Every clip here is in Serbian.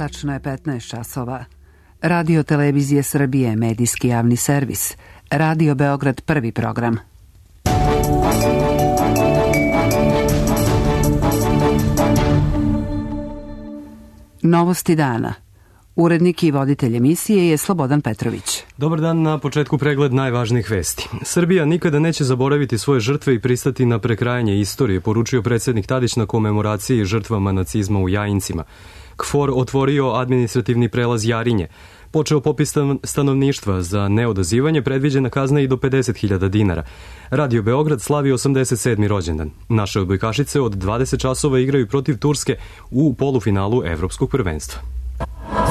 Tačno je 15 časova. Radio Televizije Srbije, medijski javni servis. Radio Beograd, prvi program. Novosti dana. Urednik i voditelj emisije je Slobodan Petrović. Dobar dan, na početku pregled najvažnijih vesti. Srbija nikada neće zaboraviti svoje žrtve i pristati na prekrajanje istorije, poručio predsjednik Tadić na komemoraciji žrtvama nacizma u Jajincima. KFOR otvorio administrativni prelaz Jarinje. Počeo popis stanovništva, za neodazivanje predviđena kazna i do 50.000 dinara. Radio Beograd slavi 87. rođendan. Naše odbojkašice od 20 časova igraju protiv Turske u polufinalu Evropskog prvenstva.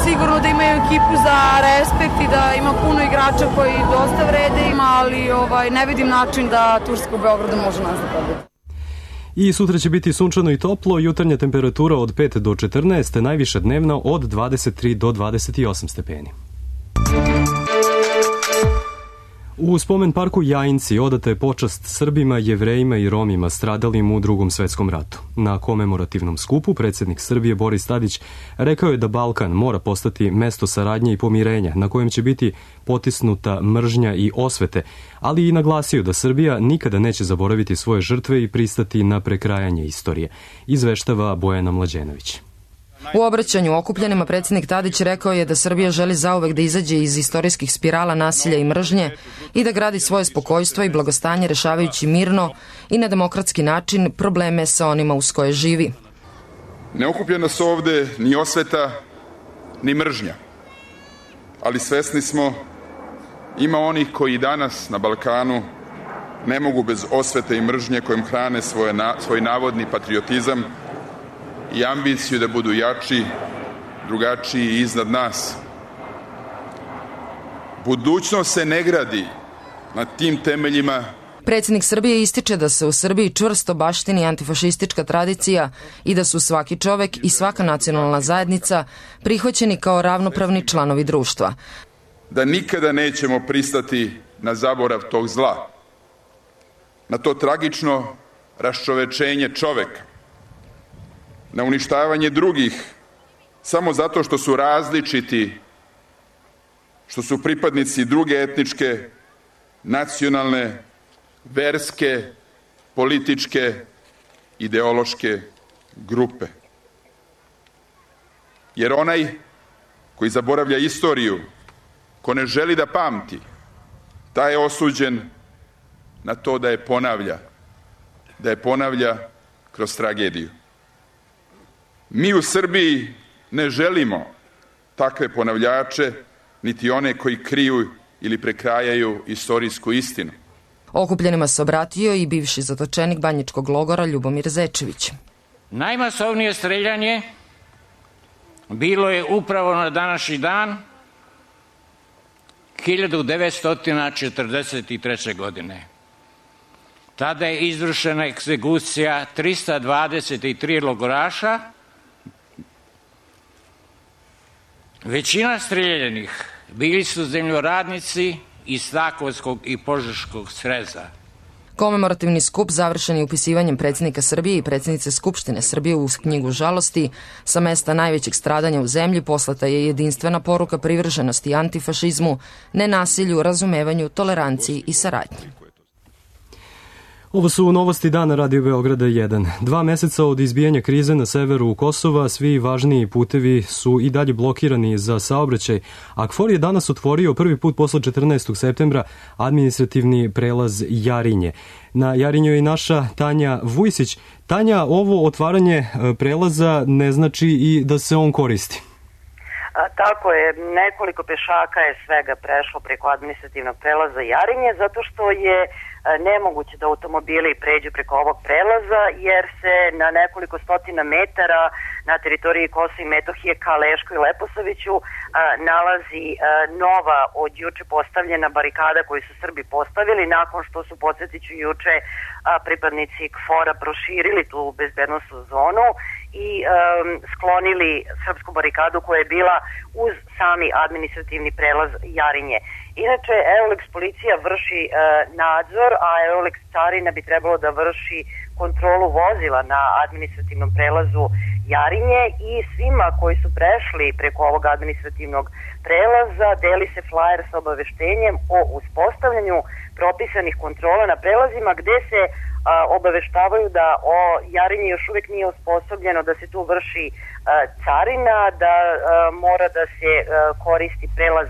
Sigurno da imaju ekipu za respekt i da ima puno igrača koji dosta vrede ima, ali ne vidim način da Turska u Beogradu može nas da pobedi. I sutra će biti sunčano i toplo, jutarnja temperatura od 5 do 14, najviša dnevna od 23 do 28 stepeni. U spomen parku Jajinci odata je počast Srbima, Jevrejima i Romima stradalim u Drugom svetskom ratu. Na komemorativnom skupu predsjednik Srbije Boris Tadić rekao je da Balkan mora postati mesto saradnje i pomirenja na kojem će biti potisnuta mržnja i osvete, ali i naglasio da Srbija nikada neće zaboraviti svoje žrtve i pristati na prekrajanje istorije, izveštava Bojana Mlađenović. U obraćanju okupljenima predsjednik Tadić rekao je da Srbija želi zauvek da izađe iz istorijskih spirala nasilja i mržnje i da gradi svoje spokojstvo i blagostanje rešavajući mirno i na demokratski način probleme sa onima uz koje živi. Ne okuplja nas ovde ni osveta, ni mržnja, ali svesni smo ima onih koji danas na Balkanu ne mogu bez osvete i mržnje kojim hrane svoj navodni patriotizam i ambiciju da budu jači, drugačiji i iznad nas. Budućnost se ne gradi na tim temeljima. Predsjednik Srbije ističe da se u Srbiji čvrsto baštini antifašistička tradicija i da su svaki čovek i svaka nacionalna zajednica prihvaćeni kao ravnopravni članovi društva. Da nikada nećemo pristati na zaborav tog zla, na to tragično raščovečenje čoveka, na uništavanje drugih samo zato što su različiti, što su pripadnici druge etničke, nacionalne, verske, političke, ideološke grupe. Jer onaj koji zaboravlja istoriju, ko ne želi da pamti, taj je osuđen na to da je ponavlja kroz tragediju. Mi u Srbiji ne želimo takve ponavljače, niti one koji kriju ili prekrajaju istorijsku istinu. Okupljenima se obratio i bivši zatočenik banjičkog logora Ljubomir Zečević. Najmasovnije streljanje bilo je upravo na današnji dan 1943. godine. Tada je izvršena egzekucija 323 logoraša. Većina streljanih bili su zemljoradnici iz Takovskog i Požeškog sreza. Komemorativni skup završen je upisivanjem predsjednika Srbije i predsjednice Skupštine Srbije u knjigu žalosti. Sa mesta najvećeg stradanja u zemlji poslata je jedinstvena poruka privrženosti antifašizmu, nenasilju, razumevanju, toleranciji i saradnji. Ovo su novosti dana Radio Beograda 1. 2 meseca od izbijanja krize na severu Kosova, svi važniji putevi su i dalje blokirani za saobraćaj, a KFOR je danas otvorio prvi put posle 14. septembra administrativni prelaz Jarinje. Na Jarinju je i naša Tanja Vujsić. Tanja, ovo otvaranje prelaza ne znači i da se on koristi. Tako je, nekoliko pešaka je svega prešlo preko administrativnog prelaza Jarinje, zato što je nemoguće da automobili pređu preko ovog prelaza, jer se na nekoliko stotina metara na teritoriji Kosova i Metohije ka Lešku i Leposaviću nalazi nova od juče postavljena barikada koju su Srbi postavili nakon što su, podsjetiću, juče pripadnici KFOR-a proširili tu bezbednosnu zonu i sklonili srpsku barikadu koja je bila uz sami administrativni prelaz Jarinje. Inače, Eulex policija vrši nadzor, a Eulex carina bi trebalo da vrši kontrolu vozila na administrativnom prelazu Jarinje i svima koji su prešli preko ovog administrativnog prelaza deli se flajer sa obaveštenjem o uspostavljanju propisanih kontrola na prelazima gde se obaveštavaju da Jarinje još uvek nije osposobljeno da se tu vrši carina, da mora da se koristi prelaz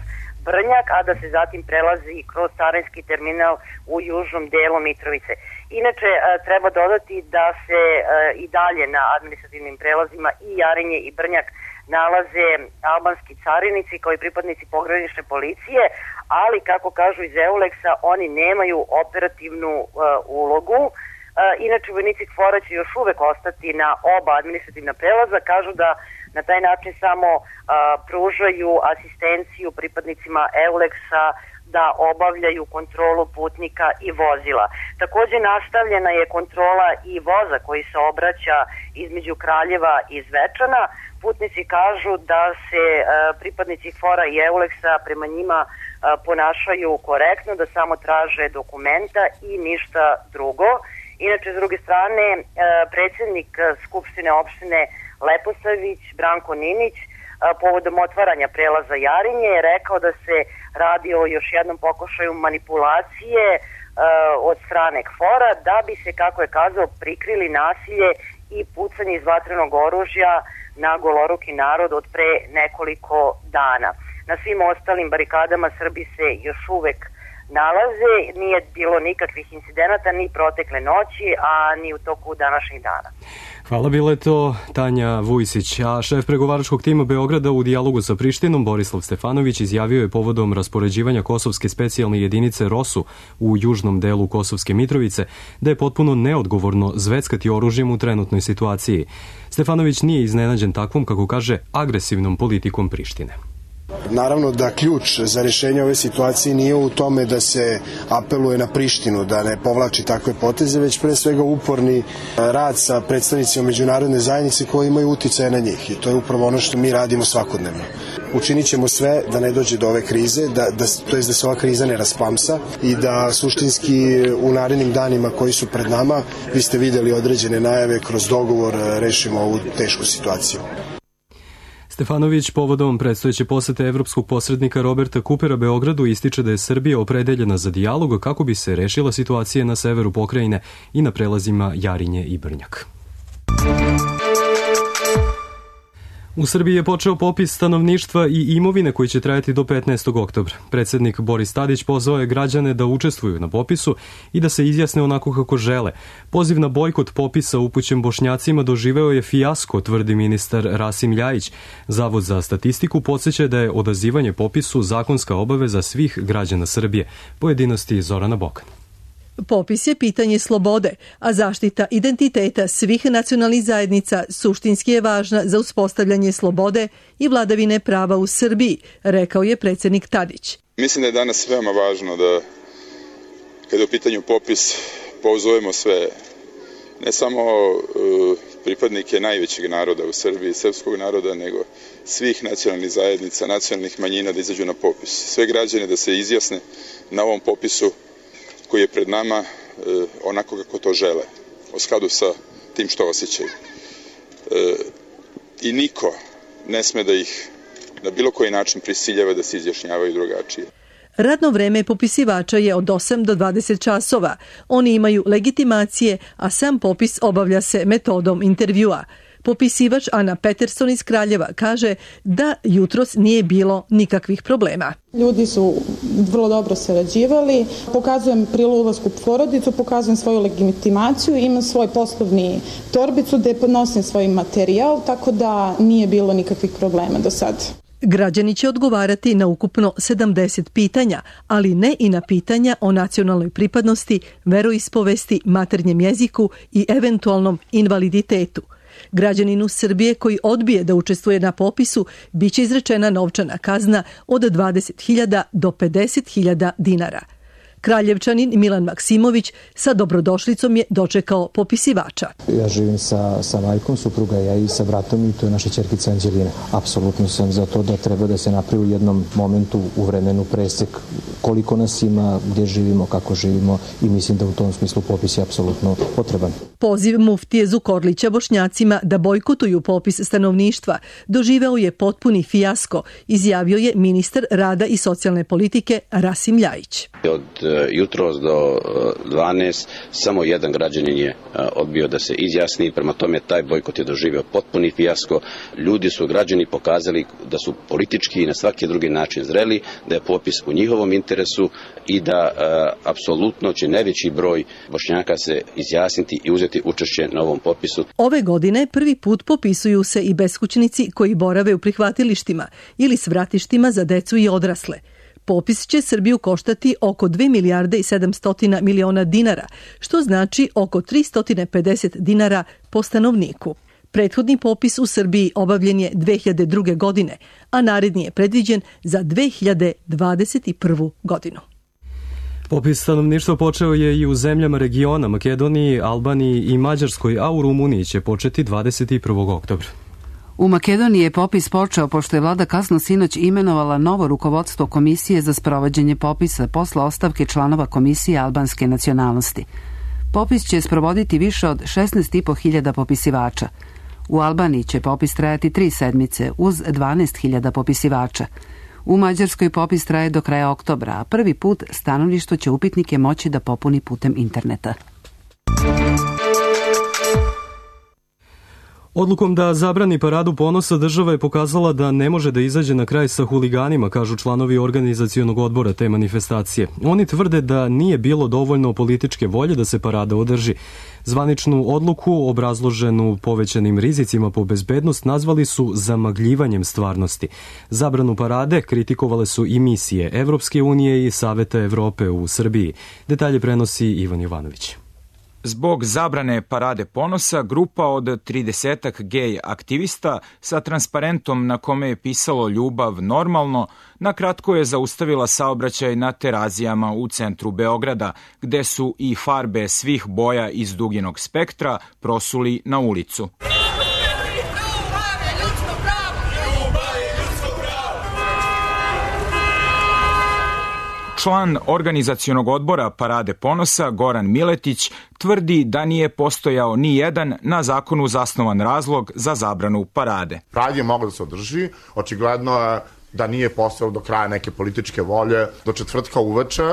Brnjak, a da se zatim prelazi kroz carinski terminal u južnom delu Mitrovice. Inače, treba dodati da se i dalje na administrativnim prelazima i Jarinje i Brnjak nalaze albanski carinici kao i pripadnici pogranične policije, ali kako kažu iz EULEX-a, oni nemaju operativnu ulogu. Inače, vojnici KFOR-a će još uvek ostati na oba administrativna prelaza, kažu da na taj način samo pružaju asistenciju pripadnicima EULEX-a da obavljaju kontrolu putnika i vozila. Takođe nastavljena je kontrola i voza koji se obraća između Kraljeva i Zvečana. Putnici kažu da se pripadnici KFOR-a i EULEX-a prema njima ponašaju korektno, da samo traže dokumenta i ništa drugo. Inače, s druge strane, predsjednik Skupštine opštine Leposavić, Branko Ninić, povodom otvaranja prelaza Jarinje je rekao da se radi o još jednom pokušaju manipulacije od strane KFOR-a da bi se, kako je kazao, prikrili nasilje i pucanje iz vatrenog oružja na goloruki narod od pre nekoliko dana. Na svim ostalim barikadama Srbi se još uvek nalaze, nije bilo nikakvih incidenata ni protekle noći, a ni u toku današnjih dana. Hvala, bila je to Tanja Vujsić. A šef pregovaračkog tima Beograda u dijalogu sa Prištinom, Borislav Stefanović, izjavio je povodom raspoređivanja kosovske specijalne jedinice ROSU u južnom delu Kosovske Mitrovice da je potpuno neodgovorno zveckati oružjem u trenutnoj situaciji. Stefanović nije iznenađen takvom, kako kaže, agresivnom politikom Prištine. Naravno da ključ za rješenje ove situacije nije u tome da se apeluje na Prištinu, da ne povlači takve poteze, već pre svega uporni rad sa predstavnicima međunarodne zajednice koji imaju uticaje na njih. I to je upravo ono što mi radimo svakodnevno. Učinit ćemo sve da ne dođe do ove krize, da se ova kriza ne rasplamsa i da suštinski u narednim danima koji su pred nama, vi ste vidjeli određene najave, kroz dogovor rešimo ovu tešku situaciju. Stefanović povodom predstojeće posete evropskog posrednika Roberta Kupera Beogradu ističe da je Srbija opredeljena za dijalog kako bi se rešila situacija na severu pokrajine i na prelazima Jarinje i Brnjak. U Srbiji je počeo popis stanovništva i imovine koji će trajati do 15. oktobra. Predsjednik Boris Tadić pozvao je građane da učestvuju na popisu i da se izjasne onako kako žele. Poziv na bojkot popisa upućen Bošnjacima doživeo je fijasko, tvrdi ministar Rasim Ljajić. Zavod za statistiku podsjeća da je odazivanje popisu zakonska obaveza svih građana Srbije. Pojedinosti Zorana Bokan. Popis je pitanje slobode, a zaštita identiteta svih nacionalnih zajednica suštinski je važna za uspostavljanje slobode i vladavine prava u Srbiji, rekao je predsjednik Tadić. Mislim da je danas veoma važno da, kada je u pitanju popis, pozovemo sve, ne samo pripadnike najvećeg naroda u Srbiji, srpskog naroda, nego svih nacionalnih zajednica, nacionalnih manjina da izađu na popis. Sve građane da se izjasne na ovom popisu koji je pred nama onako kako to žele, u skladu sa tim što osjećaju. I niko ne sme da ih na bilo koji način prisiljava da se izjašnjavaju drugačije. Radno vreme popisivača je od 8 do 20 časova. Oni imaju legitimacije, a sam popis obavlja se metodom intervjua. Popisivač Ana Peterson iz Kraljeva kaže da jutros nije bilo nikakvih problema. Ljudi su vrlo dobro sarađivali, pokazujem pri ulasku u porodicu, pokazujem svoju legitimaciju, imam svoj poslovni torbicu gde podnosim svoj materijal, tako da nije bilo nikakvih problema do sada. Građani će odgovarati na ukupno 70 pitanja, ali ne i na pitanja o nacionalnoj pripadnosti, veroispovesti, maternjem jeziku i eventualnom invaliditetu. Građaninu Srbije koji odbije da učestvuje na popisu biće izrečena novčana kazna od 20.000 do 50.000 dinara. Kraljevčanin Milan Maksimović sa dobrodošlicom je dočekao popisivača. Ja živim sa majkom supruga, ja i sa bratom i to je naša ćerkica Anđelina. Apsolutno sam za to da treba da se napravi u jednom momentu u vremenu presek koliko nas ima, gdje živimo, kako živimo i mislim da u tom smislu popis je apsolutno potreban. Poziv muftije Zukorlića Bošnjacima da bojkotuju popis stanovništva doživeo je potpuni fijasko, izjavio je ministar rada i socijalne politike Rasim Ljajić. Od jutros do 12 samo jedan građanin je odbio da se izjasni, prema tome taj bojkot je doživio potpuni fijasko. Ljudi su, građani, pokazali da su politički i na svaki drugi način zreli, da je popis u njihovom interesu i da apsolutno će najveći broj Bošnjaka se izjasniti i uzeti učešće na ovom popisu. Ove godine prvi put popisuju se i beskućnici koji borave u prihvatilištima ili svratištima za decu i odrasle. Popis će Srbiju koštati oko 2 milijarde i 700 miliona dinara, što znači oko 350 dinara po stanovniku. Prethodni popis u Srbiji obavljen je 2002. godine, a naredni je predviđen za 2021. godinu. Popis stanovništva počeo je i u zemljama regiona, Makedoniji, Albaniji i Mađarskoj, a u Rumuniji će početi 21. oktobra. U Makedoniji je popis počeo pošto je vlada kasno sinoć imenovala novo rukovodstvo Komisije za sprovođenje popisa posle ostavke članova Komisije albanske nacionalnosti. Popis će sprovoditi više od 16.500 popisivača. U Albaniji će popis trajati 3 sedmice uz 12.000 popisivača. U Mađarskoj popis traje do kraja oktobra, a prvi put stanovništvo će upitnike moći da popuni putem interneta. Odlukom da zabrani paradu ponosa država je pokazala da ne može da izađe na kraj sa huliganima, kažu članovi organizacionog odbora te manifestacije. Oni tvrde da nije bilo dovoljno političke volje da se parada održi. Zvaničnu odluku, obrazloženu povećanim rizicima po bezbednost, nazvali su zamagljivanjem stvarnosti. Zabranu parade kritikovale su i misije Evropske unije i Saveta Evrope u Srbiji. Detalje prenosi Ivan Jovanović. Zbog zabrane parade ponosa, grupa od 30-ak gej aktivista sa transparentom na kome je pisalo ljubav normalno, na kratko je zaustavila saobraćaj na Terazijama u centru Beograda, gde su i farbe svih boja iz duginog spektra prosuli na ulicu. Član organizacionog odbora Parade ponosa Goran Miletić tvrdi da nije postojao ni jedan na zakonu zasnovan razlog za zabranu parade. Parad je mogao da se održi, očigledno je da nije postojalo do kraja neke političke volje. Do četvrtka uveče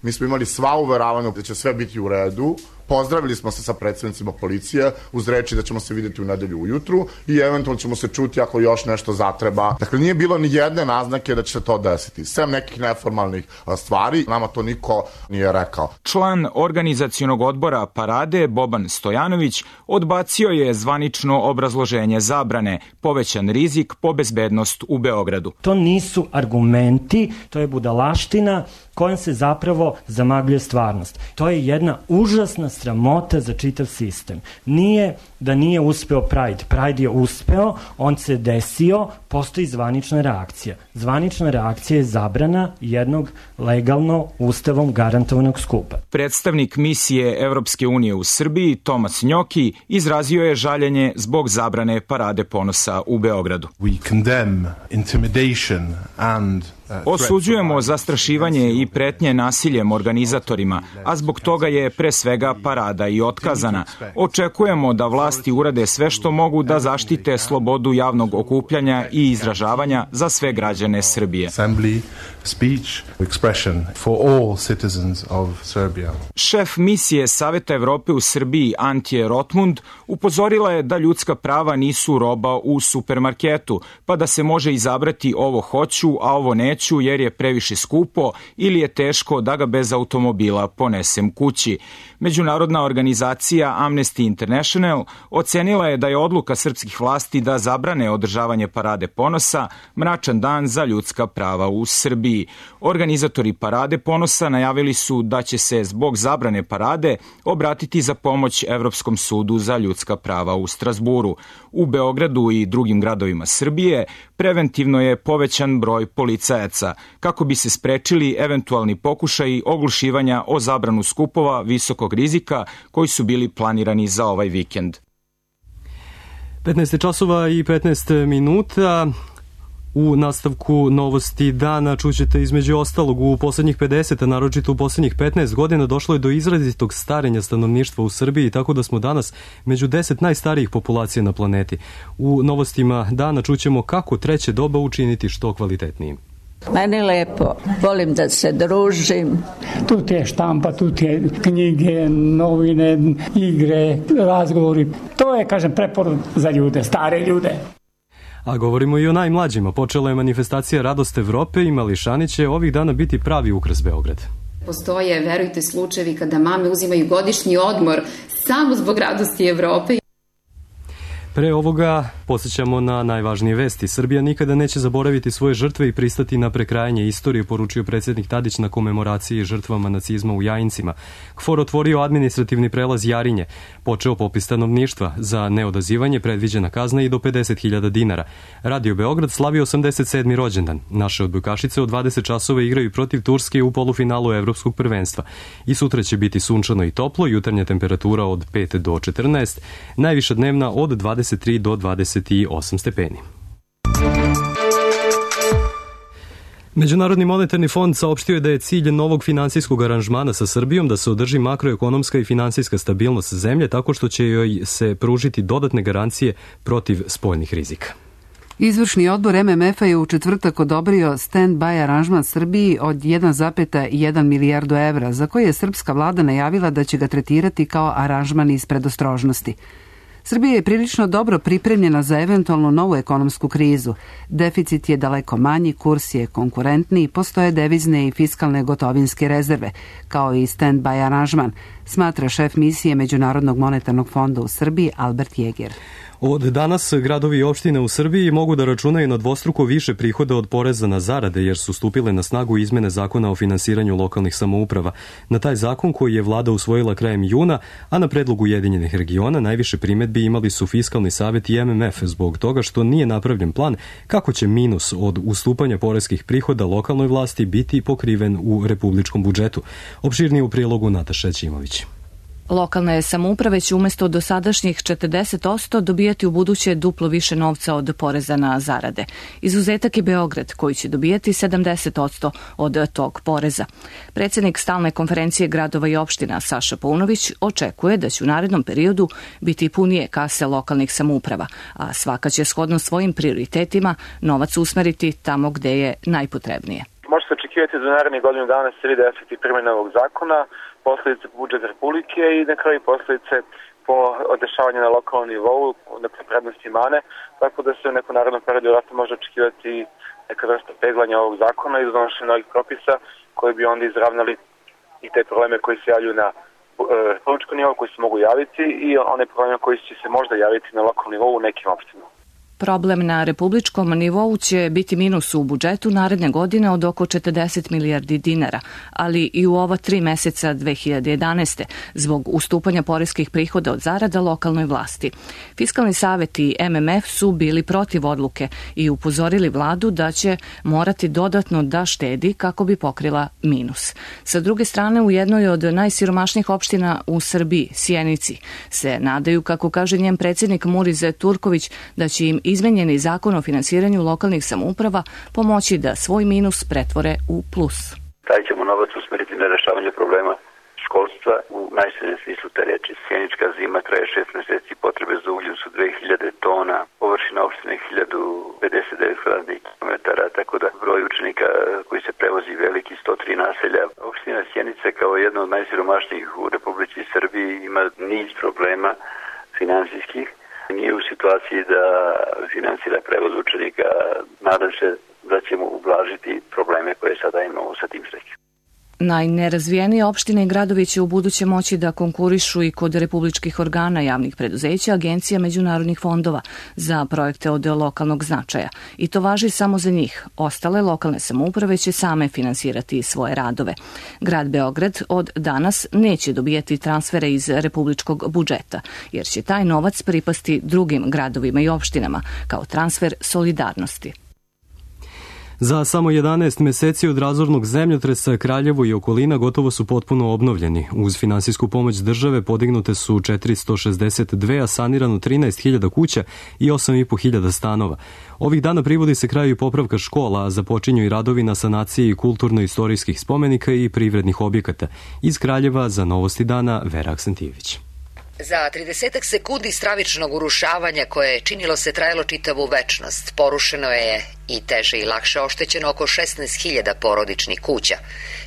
mi smo imali sva uveravanja da će sve biti u redu. Pozdravili smo se sa predstavnicima policije uz reči da ćemo se vidjeti u nedelju ujutru i eventualno ćemo se čuti ako još nešto zatreba. Dakle, nije bilo ni jedne naznake da će se to desiti. Sem nekih neformalnih stvari, nama to niko nije rekao. Član organizacionog odbora Parade, Boban Stojanović, odbacio je zvanično obrazloženje zabrane, povećan rizik po bezbednost u Beogradu. To nisu argumenti, to je budalaština kojom se zapravo zamagljuje stvarnost. To je jedna užasna sramota za čitav sistem. Nije da nije uspeo Pride. Pride je uspeo, on se desio, postoji zvanična reakcija. Zvanična reakcija je zabrana jednog legalno ustavom garantovanog skupa. Predstavnik misije Evropske unije u Srbiji, Tomas Njoki, izrazio je žaljenje zbog zabrane Parade ponosa u Beogradu. We condemn intimidation and osuđujemo zastrašivanje i pretnje nasiljem organizatorima, a zbog toga je pre svega parada i otkazana. Očekujemo da vlasti urade sve što mogu da zaštite slobodu javnog okupljanja i izražavanja za sve građane Srbije. Šef misije Saveta Evrope u Srbiji Antje Rotmund upozorila je da ljudska prava nisu roba u supermarketu, pa da se može izabrati ovo hoću, a ovo neću jer je previše skupo ili je teško da ga bez automobila ponesem kući. Međunarodna organizacija Amnesty International ocenila je da je odluka srpskih vlasti da zabrane održavanje Parade ponosa mračan dan za ljudska prava u Srbiji. Organizatori Parade ponosa najavili su da će se zbog zabrane parade obratiti za pomoć Evropskom sudu za ljudska prava u Strazburu. U Beogradu i drugim gradovima Srbije preventivno je povećan broj policajaca kako bi se sprečili eventualni pokušaji oglušivanja o zabranu skupova visokog rizika koji su bili planirani za ovaj vikend. 15 časova i 15 minuta. U nastavku novosti dana čućete između ostalog u poslednjih 50, a naročito u poslednjih 15 godina došlo je do izrazitog starenja stanovništva u Srbiji, tako da smo danas među 10 najstarijih populacija na planeti. U novostima dana čućemo kako treće doba učiniti što kvalitetnijim. Meni lepo, volim da se družim. Tu ti je štampa, tu ti je knjige, novine, igre, razgovori. To je, kažem, preporod za ljude, stare ljude. A govorimo i o najmlađima. Počela je manifestacija Radost Evrope i mališani će ovih dana biti pravi ukras Beograd. Postoje, verujte, slučajevi kada mame uzimaju godišnji odmor samo zbog Radosti Evrope. Pre ovoga podsjećamo na najvažnije vesti. Srbija nikada neće zaboraviti svoje žrtve i pristati na prekrajanje istorije, poručio predsjednik Tadić na komemoraciji žrtvama nacizma u Jajincima. KFOR otvorio administrativni prelaz Jarinje. Počeo popis stanovništva. Za neodazivanje predviđena kazna i do 50.000 dinara. Radio Beograd slavi 87. rođendan. Naše odbojkašice od 20 časova igraju protiv Turske u polufinalu Evropskog prvenstva. I sutra će biti sunčano i toplo, jutarnja temperatura od 5 do 14, najviša dnevna od 23 do 28 stepeni. Međunarodni monetarni fond saopštio je da je cilj novog finansijskog aranžmana sa Srbijom da se održi makroekonomska i finansijska stabilnost zemlje tako što će joj se pružiti dodatne garancije protiv spoljnih rizika. Izvršni odbor MMF-a je u četvrtak odobrio stand-by aranžman Srbiji od 1,1 milijardu evra, za koje je srpska vlada najavila da će ga tretirati kao aranžman iz predostrožnosti. Srbija je prilično dobro pripremljena za eventualnu novu ekonomsku krizu. Deficit je daleko manji, kurs je konkurentniji, postoje devizne i fiskalne gotovinske rezerve, kao i stand-by aranžman, smatra šef misije Međunarodnog monetarnog fonda u Srbiji Albert Jeger. Od danas gradovi i opštine u Srbiji mogu da računaju na dvostruko više prihoda od poreza na zarade jer su stupile na snagu izmene zakona o finansiranju lokalnih samouprava. Na taj zakon koji je vlada usvojila krajem juna, a na predlog Ujedinjenih regiona najviše primedbi imali su Fiskalni savet i MMF zbog toga što nije napravljen plan kako će minus od ustupanja poreskih prihoda lokalnoj vlasti biti pokriven u republičkom budžetu. Opširnije u prilogu Nataša Ćimović. Lokalne samouprave će umesto dosadašnjih 40% dobijati u buduće duplo više novca od poreza na zarade. Izuzetak je Beograd, koji će dobijati 70% od tog poreza. Predsjednik Stalne konferencije gradova i opština Saša Paunović očekuje da će u narednom periodu biti punije kase lokalnih samouprava, a svaka će shodno svojim prioritetima novac usmeriti tamo gde je najpotrebnije. Može se očekivati da narednih godinu dana se vidi efekti primjene ovog zakona, posledice po budžet Republike i na kraju posledice po dešavanju na lokalnom nivou, dakle prednosti i mane, tako da se u nekom narodnom periodu vratno može očekivati neka vrsta peglanja ovog zakona i donošenja novih propisa koji bi onda izravnali i te probleme koji se javljaju na republičkom nivou, koji se mogu javiti i one probleme koji će se možda javiti na lokalnom nivou u nekim opštinama. Problem na republičkom nivou će biti minus u budžetu naredne godine od oko 40 milijardi dinara, ali i u ova 3 meseca 2011. zbog ustupanja poreskih prihoda od zarada lokalnoj vlasti. Fiskalni savet i MMF su bili protiv odluke i upozorili vladu da će morati dodatno da štedi kako bi pokrila minus. Sa druge strane, u jednoj od najsiromašnijih opština u Srbiji, Sjenici, se nadaju, kako kaže njen predsjednik Murize Turković, da će im izmenjeni zakon o finansiranju lokalnih samouprava pomoći da svoj minus pretvore u plus. Taj ćemo novac usmeriti na rešavanje problema školstva u najširem smislu te reči. Sjenička zima traje 6 meseci, potrebe za ugljem su 2000 tona, površina opštine 1059 kvadratnih kilometara, tako da broj učenika koji se prevozi veliki, 103 naselja. Opština Sjenica kao jedna od najsiromašnijih u Republici Srbiji ima niz problema finansijskih. Nije u situaciji da finansira prevoz učenika. Nadam se da ćemo ublažiti probleme koje sada imamo sa tim srećom. Najnerazvijenije opštine i gradovi će u buduće moći da konkurišu i kod republičkih organa, javnih preduzeća, agencija, međunarodnih fondova za projekte od lokalnog značaja. I to važi samo za njih. Ostale lokalne samouprave će same finansirati svoje radove. Grad Beograd od danas neće dobijati transfere iz republičkog budžeta, jer će taj novac pripasti drugim gradovima i opštinama kao transfer solidarnosti. Za samo 11 meseci od razornog zemljotresa Kraljevo i okolina gotovo su potpuno obnovljeni. Uz finansijsku pomoć države podignute su 462, a sanirano 13.000 kuća i 8.500 stanova. Ovih dana privodi se kraju i popravka škola, a započinju i radovi na sanaciji kulturno-istorijskih spomenika i privrednih objekata. Iz Kraljeva za Novosti dana Vera Aksentijević. Za 30 sekundi stravičnog urušavanja koje je činilo se trajalo čitavu večnost, porušeno je i teže i lakše oštećeno oko 16.000 porodičnih kuća,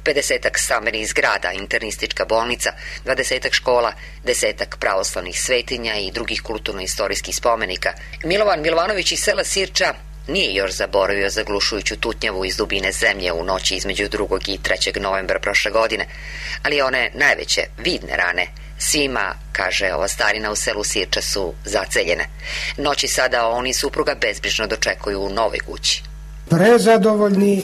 50 stambenih zgrada, internistička bolnica, 20 škola, 10 pravoslavnih svetinja i drugih kulturno-istorijskih spomenika. Milovan Milovanović iz sela Sirča nije još zaboravio zaglušujuću tutnjavu iz dubine zemlje u noći između 2. i 3. novembra prošle godine, ali one najveće vidne rane svima, kaže ova starina u selu Sirča, su zaceljene. Noći sada on i supruga bezbrižno dočekuju u novoj kući. Prezadovoljni,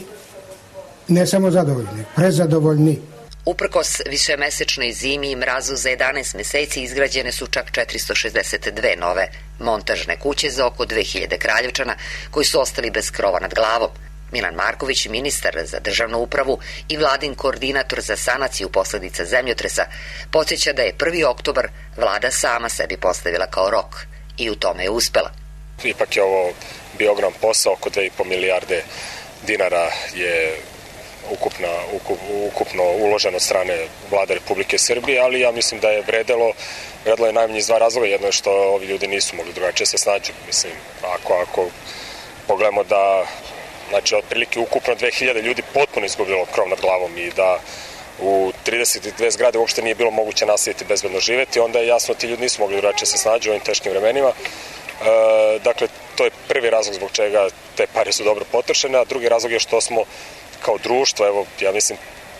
ne samo zadovoljni, prezadovoljni. Uprkos višemesečnoj zimi i mrazu za 11 meseci izgrađene su čak 462 nove montažne kuće za oko 2000 Kraljevčana koji su ostali bez krova nad glavom. Milan Marković, ministar za državnu upravu i vladin koordinator za sanaciju posledica zemljotresa, podsjeća da je 1. oktobar vlada sama sebi postavila kao rok i u tome je uspela. Ipak je ovo bio ogrom posao, oko 2,5 milijarde dinara je ukupno uloženo od strane vlade Republike Srbije, ali ja mislim da je vredelo je najmanje iz 2 razloga. Jedno je što ovi ljudi nisu mogli drugačije se snađu. Mislim, ako pogledamo da znači, otprilike ukupno 2000 ljudi potpuno izgubilo krov nad glavom i da u 32 zgrade uopšte nije bilo moguće nastaviti bezbedno živeti, onda je jasno ti ljudi nisu mogli drugačije se snađu u ovim teškim vremenima. Dakle, to je prvi razlog zbog čega te pare su dobro potrošene, a drugi razlog je što smo kao društvo, evo, ja mislim,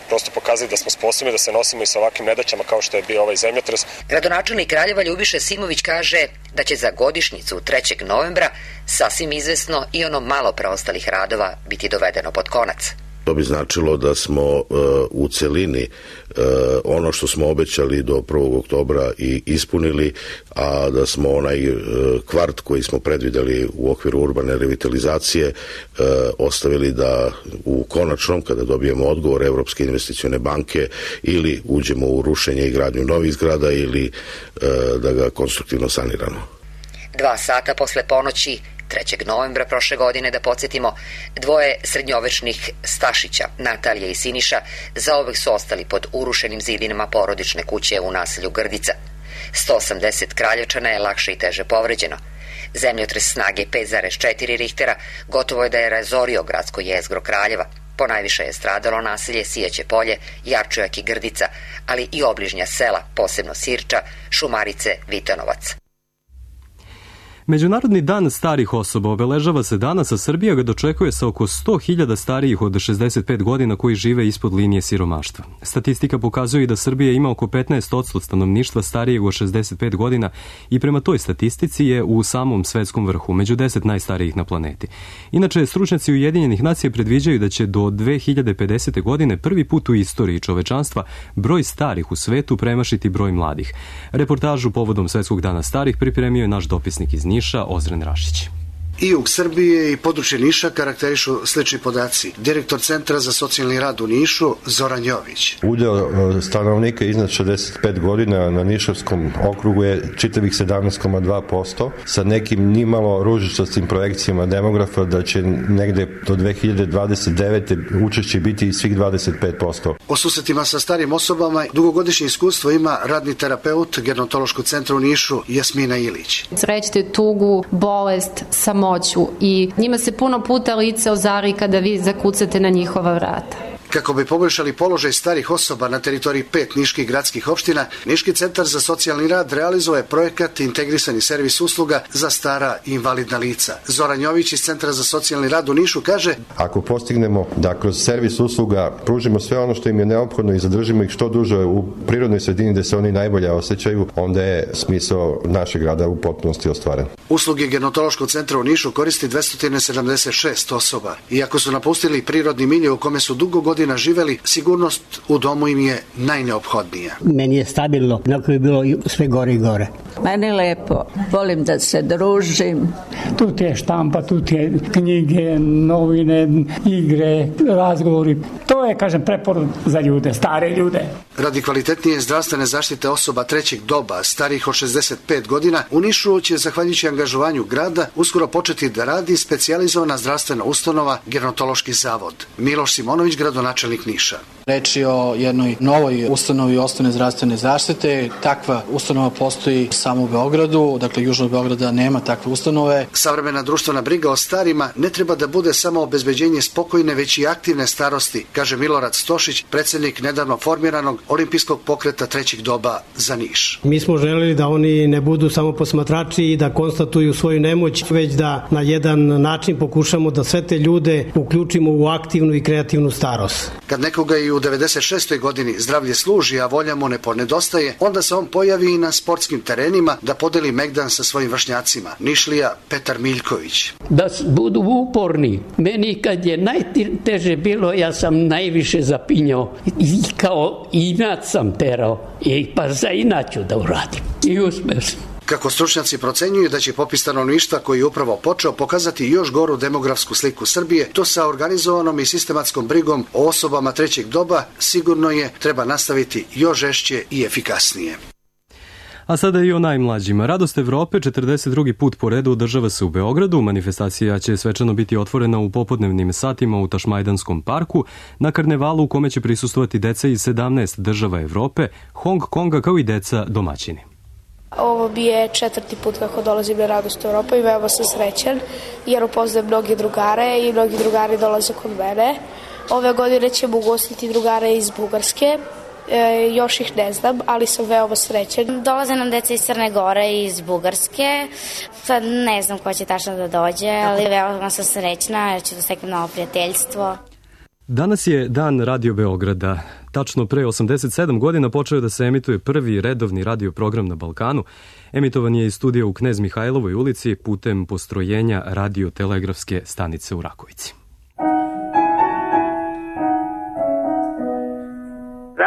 prosto pokazali da smo sposobni da se nosimo i sa ovakvim nedaćama kao što je bio ovaj zemljotres. Gradonačelnik Kraljeva Ljubiša Simović kaže da će za godišnjicu 3. novembra sasvim izvesno i ono malo preostalih radova biti dovedeno pod konac. To bi značilo da smo u celini ono što smo obećali do 1. oktobra i ispunili, a da smo onaj kvart koji smo predvideli u okviru urbane revitalizacije ostavili da u konačnom, kada dobijemo odgovor Evropske investicione banke, ili uđemo u rušenje i gradnju novih zgrada ili da ga konstruktivno saniramo. 2 sata posle ponoći 3. novembra prošle godine, da podsjetimo, 2 srednjovečnih Stašića, Natalija i Siniša, zauvek su ostali pod urušenim zidinama porodične kuće u naselju Grdica. 180 Kraljevčana je lakše i teže povređeno. Zemljotres snage 5,4 Richtera gotovo je da je razorio gradsko jezgro Kraljeva. Ponajviše je stradalo naselje Sijaće polje, Jarčujak i Grdica, ali i obližnja sela, posebno Sirča, Šumarice, Vitanovac. Međunarodni dan starih osoba obeležava se danas, a Srbija ga dočekuje sa oko 100.000 starijih od 65 godina koji žive ispod linije siromaštva. Statistika pokazuje da Srbija ima oko 15% stanovništva starijeg od 65 godina i prema toj statistici je u samom svetskom vrhu, među 10 najstarijih na planeti. Inače, stručnjaci Ujedinjenih nacija predviđaju da će do 2050. godine prvi put u istoriji čovečanstva broj starih u svetu premašiti broj mladih. Reportažu povodom Svetskog dana starih pripremio je naš dopisnik iz Niša, Ozren Rašić. I jug Srbije i područje Niša karakterišu slični podaci. Direktor Centra za socijalni rad u Nišu, Zoran Jović. Udeo stanovnika iznad 65 godina na Nišavskom okrugu je čitavih 17,2%, sa nekim nimalo ružičastim projekcijama demografa da će negde do 2029. učešće biti svih 25%. O susretima sa starim osobama dugogodišnje iskustvo ima radni terapeut Gerontološkog centra u Nišu Jasmina Ilić. Srećete tugu, bolest, samoću i njima se puno puta lice ozari kada vi zakucate na njihova vrata. Kako bi poboljšali položaj starih osoba na teritoriji 5 niških gradskih opština, Niški centar za socijalni rad realizuje projekat Integrisani servis usluga za stara i invalidna lica. Zoran Jović iz Centra za socijalni rad u Nišu kaže: ako postignemo da kroz servis usluga pružimo sve ono što im je neophodno i zadržimo ih što duže u prirodnoj sredini gde se oni najbolje osjećaju, onda je smisao našeg rada u potpunosti ostvaren. Usluge Gerontološkog centra u Nišu koristi 276 osoba. Iako su napustili prirodni milje u kome su dugo godina živeli, sigurnost u domu im je najneophodnija. Meni je stabilno, nakon je bilo sve gore i gore. Meni lepo, volim da se družim. Tu ti je štampa, tu ti je knjige, novine, igre, razgovori. To je, kažem, preporod za ljude, stare ljude. Radi kvalitetnije zdravstvene zaštite osoba trećeg doba, starijih od 65 godina, u Nišu će, zahvaljujući angažovanju grada, uskoro početi da radi specijalizovana zdravstvena ustanova Gerontološki zavod. Miloš Simonović, gradonačelnik Niša. Reč je o jednoj novoj ustanovi osnovne zdravstvene zaštite. Takva ustanova postoji samo u Beogradu, dakle južno od Beograda nema takve ustanove. Savremena društvena briga o starima ne treba da bude samo obezbeđenje spokojne, već i aktivne starosti, kaže Milorad Stošić, predsjednik nedavno formiranog olimpijskog pokreta trećeg doba za Niš. Mi smo želeli da oni ne budu samo posmatrači i da konstatuju svoju nemoć, već da na jedan način pokušamo da sve te ljude uključimo u aktivnu i kreativnu starost. Kad nekoga i u 96. godini zdravlje služi, a volja mu ne ponedostaje, onda se on pojavi i na sportskim terenima da podeli megdan sa svojim vršnjacima. Nišlija Petar Miljković. Da budu uporni. Meni kad je najteže bilo, ja sam najviše zapinjao i kao inat sam terao. Pa za inaću da uradim. I uspeo sam. Kako stručnjaci procenjuju da će popis stanovništva koji je upravo počeo pokazati još goru demografsku sliku Srbije, to sa organizovanom i sistematskom brigom o osobama trećeg doba sigurno je treba nastaviti još žešće i efikasnije. A sada i o najmlađima. Radost Evrope 42. put po redu održava se u Beogradu. Manifestacija će svečano biti otvorena u popodnevnim satima u Tašmajdanskom parku na karnevalu u kome će prisustvovati deca iz 17 država Evrope, Hong Konga kao i deca domaćini. Ovo bi je 4. put kako dolazim na Radost Evrope i veoma sam srećan jer upoznajem mnogi drugare i mnogi drugari dolaze kod mene. Ove godine ćemo ugostiti drugare iz Bugarske, još ih ne znam, ali sam veoma srećan. Dolaze nam deca iz Crne Gore i iz Bugarske, sad ne znam ko će tačno da dođe, ali veoma sam srećna jer ću da steknem novo prijateljstvo. Danas je dan Radio Beograda. Tačno pre 87 godina počeo da se emituje prvi redovni radio program na Balkanu. Emitovan je iz studija u Knez Mihajlovoj ulici putem postrojenja radiotelegrafske stanice u Rakovici.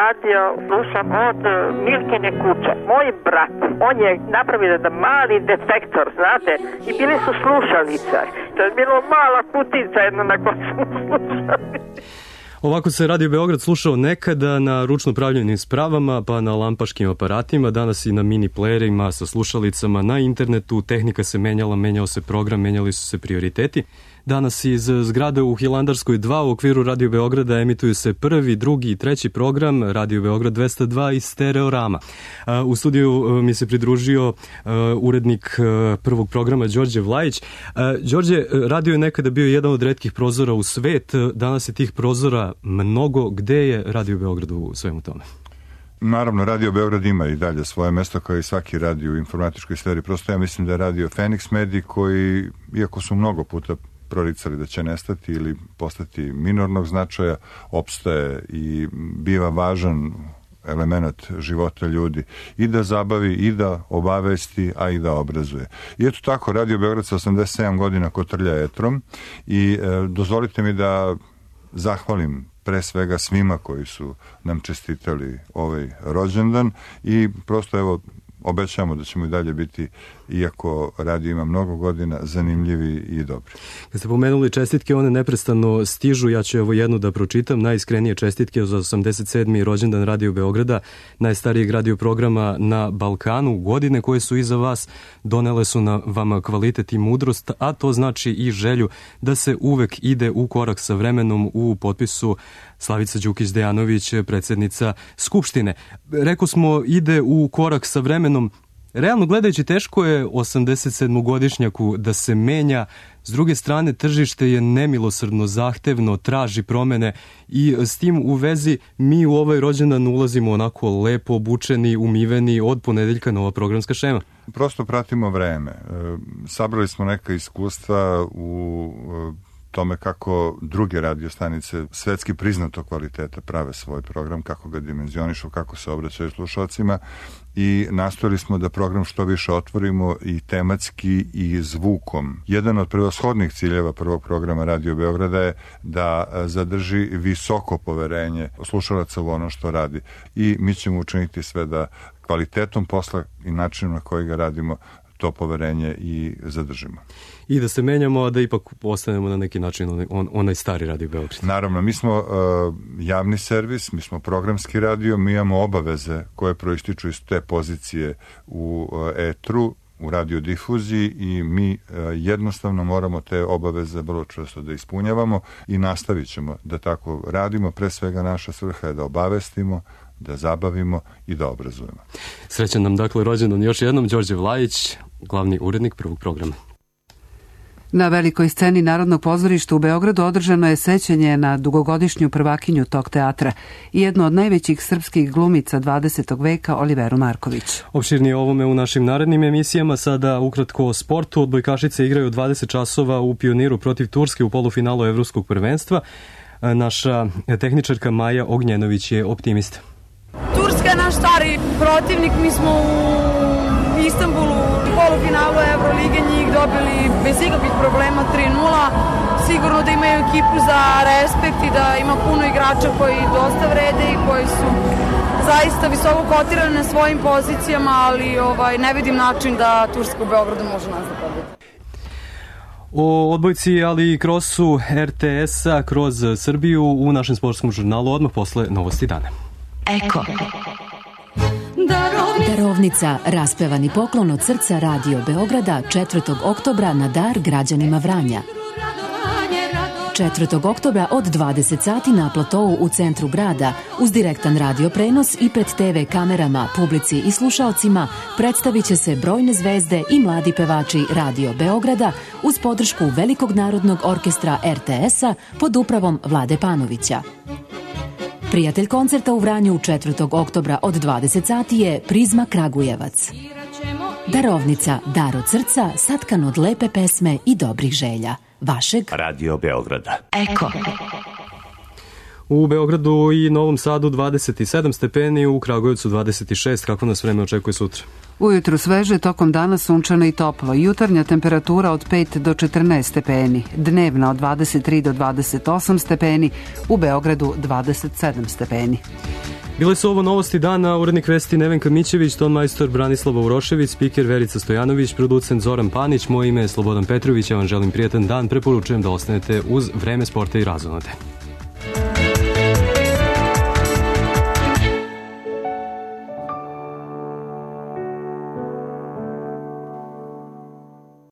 Radio slušam od Milkine kuće. Moj brat, on je napravio jedan mali detektor, znate, i bili su slušalice. To je bilo mala kutica jedna na kojoj smo slušali. Ovako se Radio Beograd slušao nekada na ručno pravljenim spravama, pa na lampaškim aparatima, danas i na mini playerima sa slušalicama na internetu. Tehnika se menjala, menjao se program, menjali su se prioriteti. Danas iz zgrade u Hilandarskoj 2 u okviru Radio Beograda emituju se prvi, drugi i treći program Radio Beograd 202 i Stereorama. U studiju mi se pridružio urednik prvog programa Đorđe Vlajić. Đorđe, radio je nekada bio jedan od retkih prozora u svet, danas je tih prozora mnogo. Gde je Radio Beograd u svemu tome? Naravno, Radio Beograd ima i dalje svoje mesto kao i svaki radio u informatičkoj sferi. Prosto ja mislim da je radio Fenix Mediji koji, iako su mnogo puta proricali da će nestati ili postati minornog značaja, opstaje i biva važan element života ljudi i da zabavi i da obavesti, a i da obrazuje. I eto tako, Radio Beograd sa 87 godina kotrlja etrom i dozvolite mi da zahvalim pre svega svima koji su nam čestitali ovaj rođendan i prosto evo obećamo da ćemo i dalje biti, iako radio ima mnogo godina, zanimljivi i dobri. Kad ste pomenuli čestitke, one neprestano stižu, ja ću evo jednu da pročitam. Najiskrenije čestitke za 87. rođendan Radio Beograda, najstarijeg radio programa na Balkanu. Godine koje su iza vas donele su na vama kvalitet i mudrost, a to znači i želju da se uvek ide u korak sa vremenom. U potpisu Slavica Đukić-Dejanović, predsjednica Skupštine. Reko smo, ide u korak sa vremenom. Realno gledajući, teško je 87-godišnjaku da se menja. S druge strane, tržište je nemilosrdno, zahtevno, traži promene i s tim u vezi mi u ovaj rođendan ulazimo onako lepo obučeni, umiveni od ponedeljka nova programska šema. Prosto pratimo vreme. Sabrali smo neka iskustva u tome kako druge radiostanice svetski priznato kvaliteta prave svoj program, kako ga dimenzionišu, kako se obraćaju slušalcima, i nastojali smo da program što više otvorimo i tematski i zvukom. Jedan od prevashodnih ciljeva prvog programa Radio Beograda je da zadrži visoko poverenje slušalaca u ono što radi, i mi ćemo učiniti sve da kvalitetom posla i načinom na koji ga radimo to poverenje i zadržimo. I da se menjamo, a da ipak ostanemo na neki način onaj stari Radio Beograd. Naravno, mi smo javni servis, mi smo programski radio, mi imamo obaveze koje proističu iz te pozicije u etru, u radiodifuziji, i mi jednostavno moramo te obaveze vrlo često da ispunjavamo i nastavit ćemo da tako radimo. Pre svega naša svrha je da obavestimo, da zabavimo i da obrazujemo. Srećan nam dakle rođendan još jednom, Đorđe Vlajić, glavni urednik prvog programa. Na velikoj sceni Narodnog pozorišta u Beogradu održano je sećanje na dugogodišnju prvakinju tog teatra i jednu od najvećih srpskih glumica 20. veka, Oliveru Marković. Opširnije ovome u našim narednim emisijama. Sada ukratko o sportu. Odbojkašice igraju 20 časova u Pioniru protiv Turske u polufinalu Evropskog prvenstva. Naša tehničarka Maja Ognjenović je optimista. Turska je naš stari protivnik, mi smo u Istanbulu u polufinalu Evrolige njih dobili bez ikakvih problema 3-0. Sigurno da imaju ekipu za respekt i da ima puno igrača koji dosta vrede i koji su zaista visoko kotirani na svojim pozicijama, ali ne vidim način da Turska u Beogradu može nas da pobedi. O odbojci, ali i krosu RTS-a kroz Srbiju u našem sportskom žurnalu odmah posle novosti dana. Eko. Darovnica, raspevani poklon od srca Radio Beograda 4. oktobra na dar građanima Vranja. 4. oktobra od 20 sati na platovu u centru grada, uz direktan radio prenos i pred TV kamerama, publici i slušaocima, predstavit će se brojne zvezde i mladi pevači Radio Beograda uz podršku Velikog narodnog orkestra RTS-a pod upravom Vlade Panovića. Prijatelj koncerta u Vranju 4. oktobra od 20 sati je Prizma Kragujevac. Darovnica, dar od srca, satkan od lepe pesme i dobrih želja. Vašeg Radio Beograda. Eko. U Beogradu i Novom Sadu 27 stepeni, u Kragujevcu 26. Kako nas vreme očekuje sutra? Ujutru sveže, tokom dana sunčano i toplo. Jutarnja temperatura od 5 do 14 stepeni. Dnevna od 23 do 28 stepeni. U Beogradu 27 stepeni. Bile su ovo novosti dana, urednik vesti Nevenka Mićević, ton majstor Branislava Urošević, spiker Verica Stojanović, producent Zoran Panić, moje ime je Slobodan Petrović, ja vam želim prijetan dan, preporučujem da ostanete uz Vreme sporta i razonode.